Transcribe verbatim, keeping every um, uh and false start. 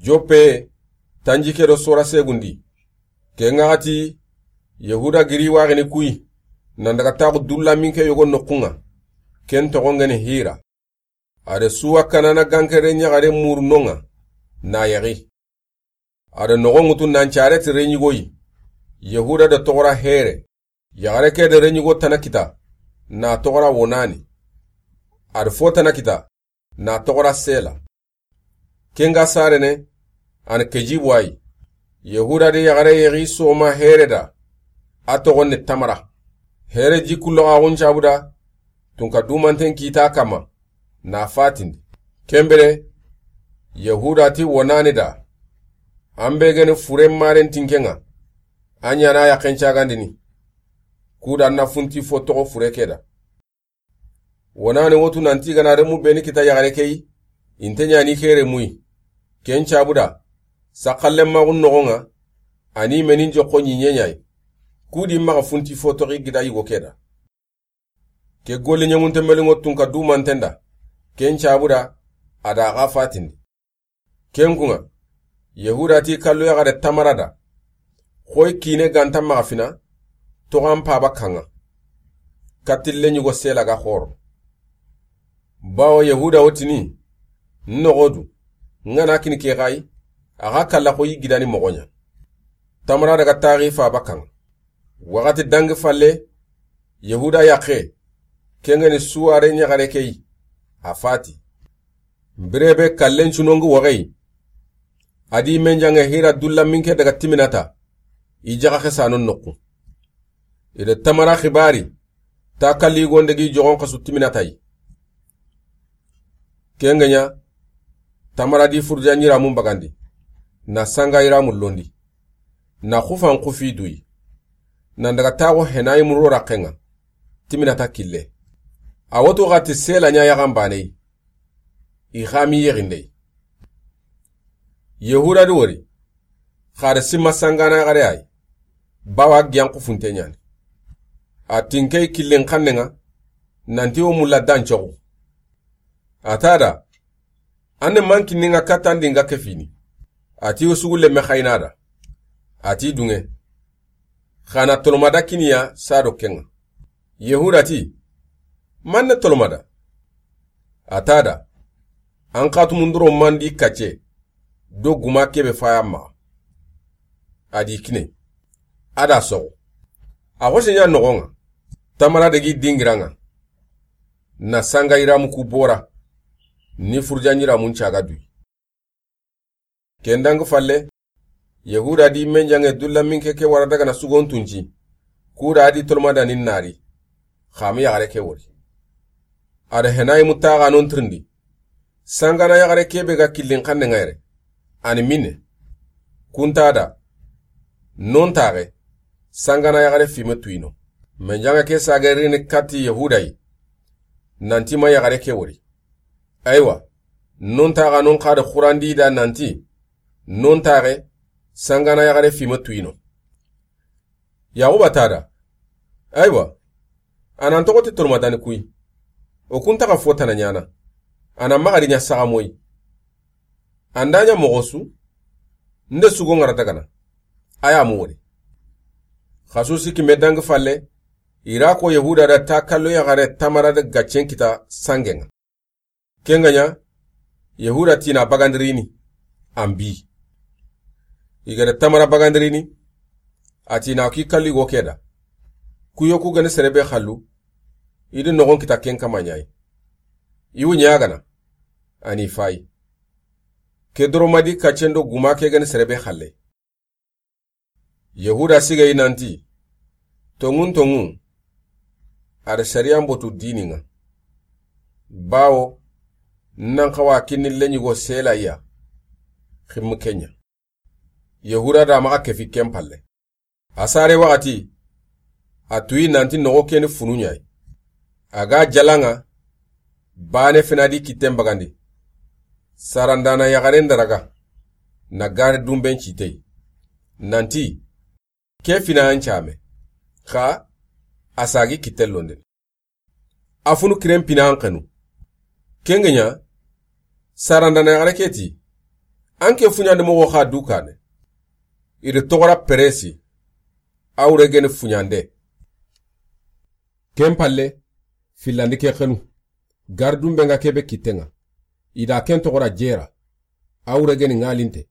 Joppe, tanjikke do sora segundi. Ken ŋa xati, Yehuda giri waxini kuyi, nan daga taxu dulla minke yogo noxun ŋa. Ken toxon ŋeni Hira. A da Suwa Kanana gankere ɲaxare muru no ŋa, na yaxi. A da noxon ŋutu nan care ti reɲigoyi, Yehuda da toxora Here. Yaxare ke da reɲigo tana kita, na toxora Wonani. A da fo tana kita, na toxora Sela. Ken ga sarene, an kejibu ayi. Yehuda da yaxare yaxi soma Here da, a toxon ni Tamara. Here ji kullo xaxun cabu da, tunka dumanten kita kama, na fatindi. Ken bire, Yehuda ti Wonani da, an be geni fure maren tinke ŋa, a ɲana yaxen cagandini. Kuda na funti fo toxo fure ke da. Wonani wotu nanti gana remu beni kita yaxare keyi, inte ɲani Here muyi. Ken cabu da, saxallen maxun noxon ŋa, ani menin joxo ɲiɲe ɲayi. Kudi maxa funti fo toxi gida yigo ke da. Ke golli ɲemunte melingo tunka dumanten da, ken cabu da, a da xa fatindi. Ken kun ŋa, Yehuda ti kallu yaxare Tamara da, xoy kine ganta maxa fina, toxan paba kan ŋa. Katille ɲugo Sela ga xoro. Bawo Yehuda wotini, noxodu, ŋana kini ke xayi, a xa kalla xoyi gidani moxo ɲa. Tamara daga taxi faba kan ŋa. Waxati dangi falle, Yehuda yaxe, ken ŋeni Suware ɲaxare keyi, a fati. Birebe kallen cunongi waxeyi. A di menjange Hira dulla minke daga Timinata, i jaxa xesano noxu. I da Tamara xibari, ta kalli gonde gi joxon xasu Timinata yi. Ken ŋa ɲa, Tamara di furja ɲiramun bagandi, na sanga yiramun londi, na xufan xufi duyi, nan daga taxo Henayi muro raxen ŋa, Timinata kille. A wotu xati Sela ɲa yaxan baneyi, i xami yexindey. Yehuda di wori, xare sima sangana yaxare ayi, bawa giyan xufunte ɲani. A tinkey killin xannen ŋa, nanti wo mulla dan coxu. A ta da, an ne man kinni ŋa kattandi ŋa ke fini. A ti wo sugu lemme xayina da. A ti dunŋe. Xana tolomada kiniya sado ken ŋa. Yehuda ti, man ne tolomada? A ta da, an xatumunduro mandi kacce, do guma kebe faya maxa. A di kine. A da soxo. A xose ɲa noxon ŋa. Tamara degi dingiran ŋa. Na sanga yiramu ku bora. Ni furja ɲiramun caga duyi. Ken dangi falle, Yehuda di menjange dulla minke ke wara daga na sugon tunci, kuda a di tolomadanin nari, xami yaxare ke wori. A da Henayi mutaxanon tirindi, sangana yaxare kebe ga killin xannen ŋa yere, ani minne, kunta da, non taxe, sangana yaxare fime tuyino. Menjange ke sage rini katti Yehuda yi, nanti ma yaxare ke wori. Aywa, non taxanon xa da xurandi da nanti, non taxe, sangana yaxare fime tuyino. Yaxuba ta da. Aywa, a nan toxo ti tolomadani kuyi. O kun taxa fo tana ɲana. A na maxa di ɲa saxa moyi. An da ɲa moxo su, nde sugo ŋara dagana. A ya mu wori. Xasu siki me dangi falle, i ra ko Yehuda da ta kallo yaxare Tamara da gaccen kita sangen ŋa. Ken ga ɲa, Yehuda ti na bagandirini, an bi. I ga da Tamara bagandirini, a ti na ki kalli go ke da. Kuyo ku gani sere be xallu, i di noxon kita ken kama ɲayi. I wu ɲagana, ani fayi. Ke doro madi kaccen do guma ke gani sere be xalle. Yehuda sigayi nanti, tonŋun tonŋu, a da sariyan botu dinin ŋa. Bawo, nan xawa kinni leɲigo sela ya, ximmu ke ɲa. Yehuda da maxa kefi ken palle. A sare waxati, a tuyi nanti noxo keni funu ɲayi. A ga jalan ŋa, bane fina di kitten bagandi. Sarandana yaxaren daraga, na gari dumben citey. Nanti, ke fina an came, xa a sagi kitten londen. A funu kiren pina an xenu. Ken ga ɲa, sarandana yaxare ke ti, An ke fuɲande moxo xa du kaane. I da toxora Peresi, a wure geni fuɲande. Ken palle, fillandi ke xenu, gardun be ŋa ke be kitten ŋa, i da ken toxora Jera, a wure geni ŋalinte,